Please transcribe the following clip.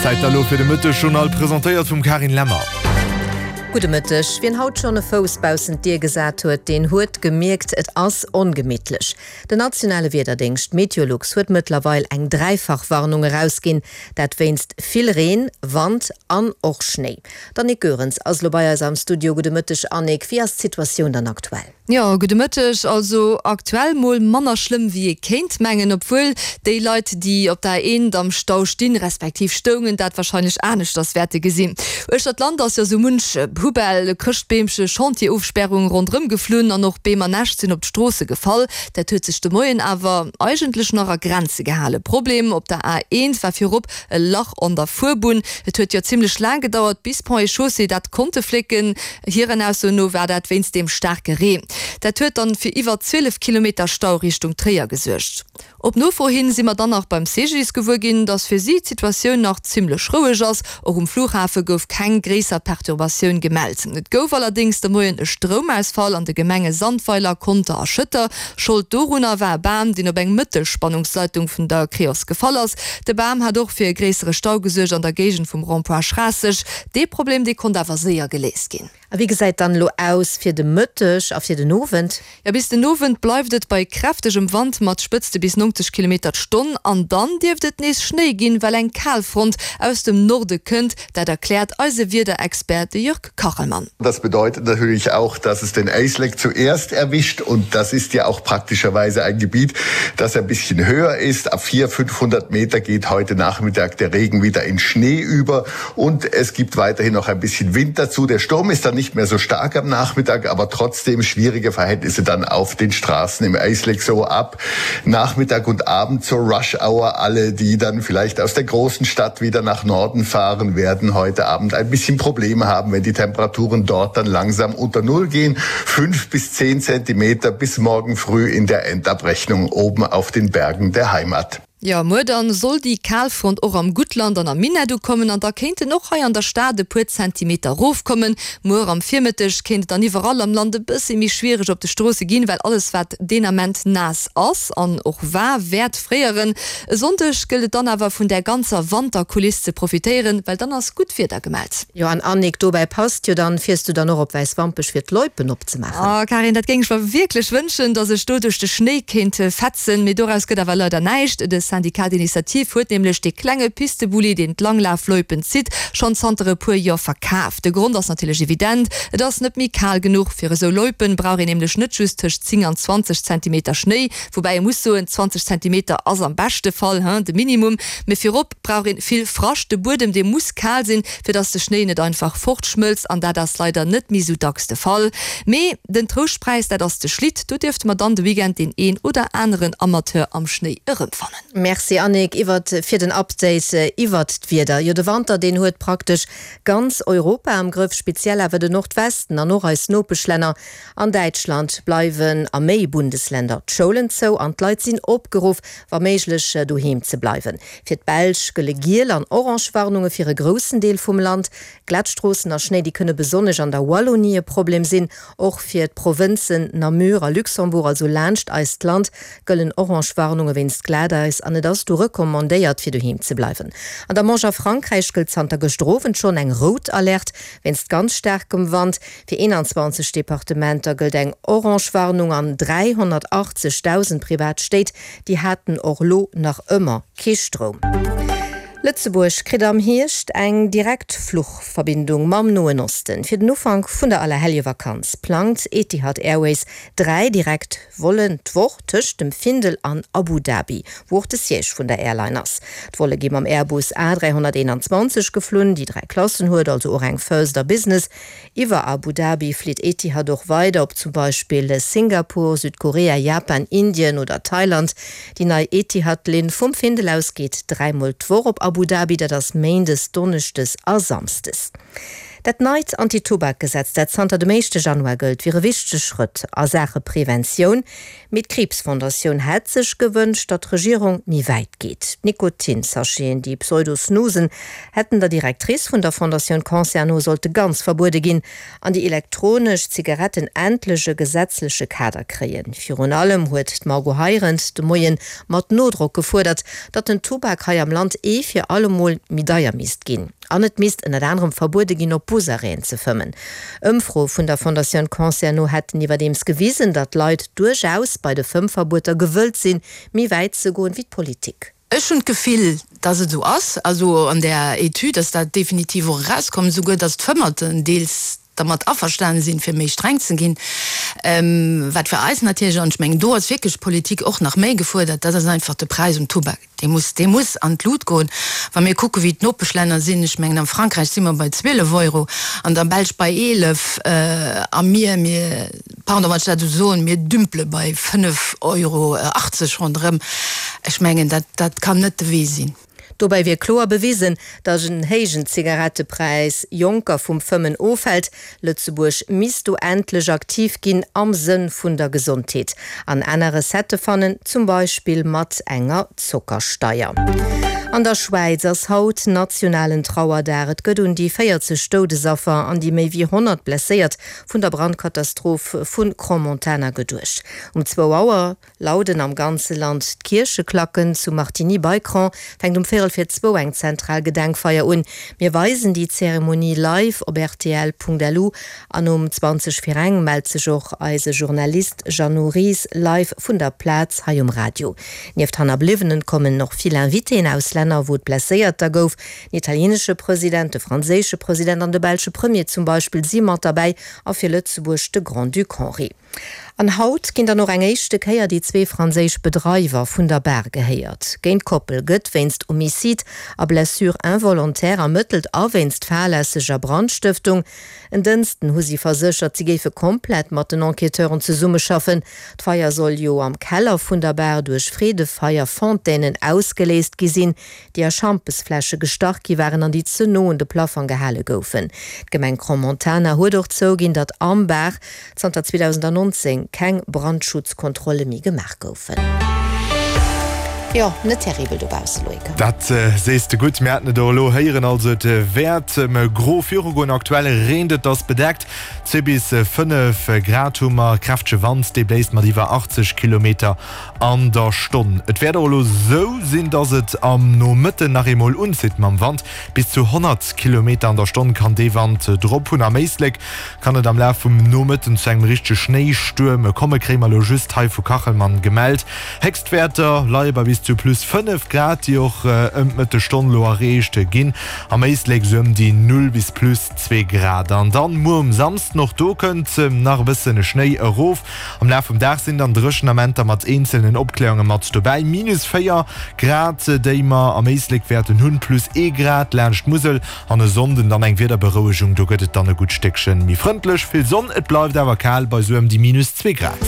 Zäit da lo fir de Mëttesjournal, presentéiert vum Karin Lemmer. Gudde Mëtteg. Wien haut schonn e Fouss baussent d'Dier gesat huet, deen huet gemierkt, et ass ongemittlech. Den nationale Wiederdéngscht Meteolux huet mëttlerweil eng Dräifachwarnung erausginn, dat wéinst vill Reen, Wand an och Schnéi. D'Annick Goerens ass elo bei eis am Studio. Gudde Mëtteg Annick, wéi ass d'Situatioun dann aktuell? Jo, gudde Mëtteg. Also aktuell mol manner schlëmm wéi ee kéint mengen, obwuel déi Leit, déi op der A1 am Stau stinn, respektiv stoungen, dat warscheinlech aneschters wäerte gesinn. Uechter d'Land ass jo sou munch Poubelle, Chrëschtbeemche, Chantierofsperrung ronderëm geflunn an och Beem an Äscht sinn op d'Stroosse gefall. Dat huet sech de Moien awer eigentlech nach a Grenze gehalen. Problem op der A1 war virop e Lach an der Fuerbunn. Et huet jo zimmlech laang gedauert, bis Ponts et Chaussées dat konnte flécken. Hiren Aussoen no war dat wéinst deem staarke Reen. Dat huet dann fir iwwer 12 Kilometer Stau Richtung Tréier gesuergt. Op Nofro hin si mer dann nach beim CGDIS gewuer ginn, dass fir si d'Situatioun nach zimmlech roueg ass. Och um Flughafe gouf keng gréisser Perturbatioun gemellt. Et gouf allerdéngs de Moien e Stroumausfall an de Gemenge Sandweiler, Conter a Schëtter. Schold dorunner war e Bam, deen op eng Mëttelspannungsleitung vun der Creos gefall ass. De Bam hat och fir e gréissere Stau gesuergt an der Géigend vum Rond-point Schraasseg. Dee Problem, dee konnt awer séier geléist ginn. A wéi gesäit dann elo aus fir de Mëtteg a fir den Owend? Jo, bis den Owend bleift et bei kräftegem Wand mat Spëtzte bis 90 Kilometer d'Stonn an dann dierft et nees Schnéi ginn, well eng Kalfront aus dem Norde kënnt. Dat erkläert eise Wiederexpert, de Jörg Kachelmann. Das bedeutet natürlich auch, dass es den Éislek zuerst erwischt und das ist ja auch praktischerweise ein Gebiet, das ein bisschen höher ist. Ab 400, 500 Meter geht heute Nachmittag der Regen wieder in Schnee über und es gibt weiterhin noch ein bisschen Wind dazu. Der Sturm ist dann nicht mehr so stark am Nachmittag, aber trotzdem schwierige Verhältnisse dann auf den Straßen im Eisleck so ab. Nachmittag und Abend zur Rush Hour alle, die dann vielleicht aus der großen Stadt wieder nach Norden fahren, werden heute Abend ein bisschen Probleme haben, wenn die Temperaturen dort dann langsam unter Null gehen. 5 bis 10 Zentimeter bis morgen früh in der Endabrechnung oben auf den Bergen der Heimat. Jo, muer dann soll déi Kalfront och am Guttland an am Minett ukommen an da kéinten och hei an der Stad e puer Zentimeter rofkommen. Muer am Virmëtteg kéint et dann iwwerall am Land e bëssi méi schwiereg op de Stroosse ginn, well alles wat deen Ament naass ass an och war, wäert fréieren. E Sonndeg gëllt et dann awer vun där ganzer Wanterkuliss ze profitéieren, well dann ass gutt Wieder gemellt. Jo an Annick, dobäi passt jo dann, fiers du dann och op Wäiswampech fir d'Loipen opzemaachen? Oh Karin, dat géing ech mer wierklech wënschen, dass ech do duerch de Schnéi kéint fetzen, mee doraus gëtt awer leider näischt. De Syndicat d'initiative huet nämlech dee klenge Pistebulli, deen d'Langlafloipen zitt, schonn zanter e puer Joer verkaf. De Grond ass natierlech evident, et ass net méi kal genuch. Fir esou Loipen brauch een nämlech net just tëscht 10 an 20 Zentimeter Schnéi, woubäi ee muss soen, 20 Zentimeter ass am beschte Fall de Minimum, mee virop brauch een vill Frascht. De Buedem dee muss kal sinn, fir dass de Schnéi net einfach fortschmëlzt an dat ass leider net méi sou dacks de Fall. Mee den Trouschtpräis, dat ass de Schlitt. Do dierfte mer dann de Weekend deen een oder aneren Amateur am Schnéi erëmfannen. Merci Annick iwwert fir den Update iwwert d'Wieder. Jo de Wanter deen huet praktesch ganz Europa am Grëff, speziell awer de Nordwesten an och eis Nopeschlänner. An Däitschland bleiwen a méi Bundesländer d'Schoulen zou an d'Leit sinn opgeruff wa méiglech doheem ze bleiwen. Fir d'Belsch gëlle giel an orange Warnunge fir e groussen Deel vum Land. Glat Stroossen a Schnéi, déi kënne besonnesch an der Wallonie e Problem sinn. Och fir d'Provënzen Namur a Luxembourg, also laanscht eist Land, gëllen orange Warnunge wéinst Glateis an et ass do recommandéiert, fir doheem ze bleiwen. An der Manche a Frankräich gëllt zanter gëschter Owend schonn eng rout Alerte wéinst ganz staarkem Wand. Fir 21 Departementer gëllt eng orange Warnung an 380.000 privat Stéit, déi haten och lo nach ëmmer kee Stroum. Lëtzebuerg kritt am Hierscht eng direkt Fluchverbindung mam Noen Osten. Fir den Ufank vun der Allerhelljevakanz plangt Etihad Airways 3 direkt Vollen d'Woch tëscht dem Findel an Abu Dhabi, wou och de Siège vun der Airline ass. D'Volle gi mam Airbus A321 geflunn, déi 3 Klassen huet, also och eng First a Business. Iwwer Abu Dhabi flitt Etihad och weider op zum Beispill Singapur, Südkorea, Japan, Indien oder Thailand. Déi nei Etihad-Linn vum Findel aus geet dräimol d'Woch op Abu Dhabi, dat ass méindes, donneschdes a samsdes. Dat neit Anti-Tubak-Gesetz, dat zanter dem éischte Januar gëllt, wier e wichtege Schrëtt a Saache Preventioun. Mee d'Kriibsfondatioun hätt sech gewënscht, datt d'Regierung méi wäit geet. D'Nikotin-Sacheten, déi Pseudo-Snusen, hätten der Directrice vun der Fondatioun Cancer no sollte ganz verbuede ginn an déi elektronesch Zigaretten endlech e gesetzleche Kader kréien. Virun allem huet d'Margot Heirendt de Moie mat Nodrock gefuerdert, datt den Tubak hei am Land ee fir allemol méi deier misst ginn. An et misst ënnert anerem verbuede ginn, op Busarrêten ze fëmmen. Ëmfroe vun der Fondatioun Cancer no hätten iwwerdeems gewisen, datt d'Leit duerchaus bei de Fëmmverbueter gewëllt sinn, méi wäit ze goen, wéi d'Politik. Ech hunn d'Gefill, dass et esou ass. Also an där Etüd ass dat definitiv och erauskomm, esouguer dass d'Fëmmerten deels dermat averstane sinn, fir méi streng ze ginn. Wat fir eis natierlech, an ech mengen, do ass wierklech d'Politik och nach méi gefuerdert, dat ass einfach de Präis um Tubak. Dee muss, dee muss an d'Lut goen. Wa mir kucken, wéi d'Nopeschlänner sinn, ech mengen, am Frankräich si mer bei 12 Euro, an der Belsch bei 11, a mir, mir, pardon, wann ech dat esou soen, mir dümpele bei 5,80 Euro ronderëm. Ech mengen, dat, dat kann net de Wee sinn. Dobäi wier kloer bewisen, datt en héijen Zigarettepräis Jonker vum Fëmmen ofhält. Lëtzebuerg misst do endlech aktiv ginn am Sënn vun der Gesondheet an aner Recettë fannen, zum Beispill mat enger Zockersteier. An der Schwäiz ass haut nationalen Trauerdag. Et gëtt un déi 40 Doudesaffer an déi méi wéi 100 Blesséiert vun der Brandkatastroph vu Crans-Montana geduecht. Um zwou Auer Lauden am ganze Land d'Kiercheklacken. Zu Martigny bei Cron fänkt um véierel vir zwou eng zentral Gedenkfeier un. Mir weisen déi Zeremonie live op rtl.lu an um 20 vir eng mellt sech och eise Journalist Jeannot Ries live vun der Plaz hei um Radio. Nieft Hannerbliwwenen kommen och vill Invitéen aus Länner wou et Blesséierter gouf. Den italienesche President, de franséische President an de belsche Premier zum Beispill si mat derbäi a fir Lëtzebuerg de Grand-Duc Henri. An haut ginn dann och eng éischte Kéier déi zwee franséisch Bedreiwer vun der Bar gehéiert. Géint d'Koppel gëtt wéinst Homicide a Blessure involontaire ermëttelt a wéinst fahrlässeger Brandstëftung. En Dënsten hu si verséchert, si géife komplett mat den Enquêteuren zesummeschaffen. D'Feier soll jo am Keller vun der Bar duerch Freedefeier-Fontainen ausgeléist gi sinn. déi a Schampesfläsche gestach gi waren an déi ze no un de Plaffong gehale goufen. D'Gemeng Crans-Montana huet och zouginn, datt am Bar zanter 2019 keng Brandschutzkontrolle méi gemaach goufen. Jo, net terribel dobausse, Loïc. Dat sees de gutt. Mir haten et och elo héieren, also et wäert gro virugoen. Aktuell reent et, ass bedeckt, zwee bis 5 Grad hu mer, kräftege Wand, dee bléist mat iwwer 80 Kilometer An der Stonn. Et wäert och elo sou sinn, dass et am Nomëtten nach eemol unzitt mam Wand. Bis zu 100 Kilometer an der Stonn kann dee Wand drop hunn. Am Éislek kann et am Laf vum Nomëtten zu engem richtege Schnéistuerm komme, kréie mer elo just hei vu Kachelmann gemellt. Héchstwäerter leie bei bis zu plus 5 Grad, déi och ëm d'Mëttesstonn elo erreecht ginn. Am Éislek sou ëm déi 0 bis plus 2 Grad. An dann muer um Samsden, och do kënnt nach e bëssen Schnéi erof. Am Laf vum Dag sinn dann dréchen Amenter mat eenzelnen Opkläerunge mat dobäi. Minus 4 Grad, déi mer am Éislek wäerten hunn, plus ee Grad laanscht d'Musel an e Sonnden dann eng Wiederberouegung, do gëtt et dann e gutt Stéckchen méi frëndlech, vill Sonn, et bleift awer kal bei sou ëm déi minus 2 Grad.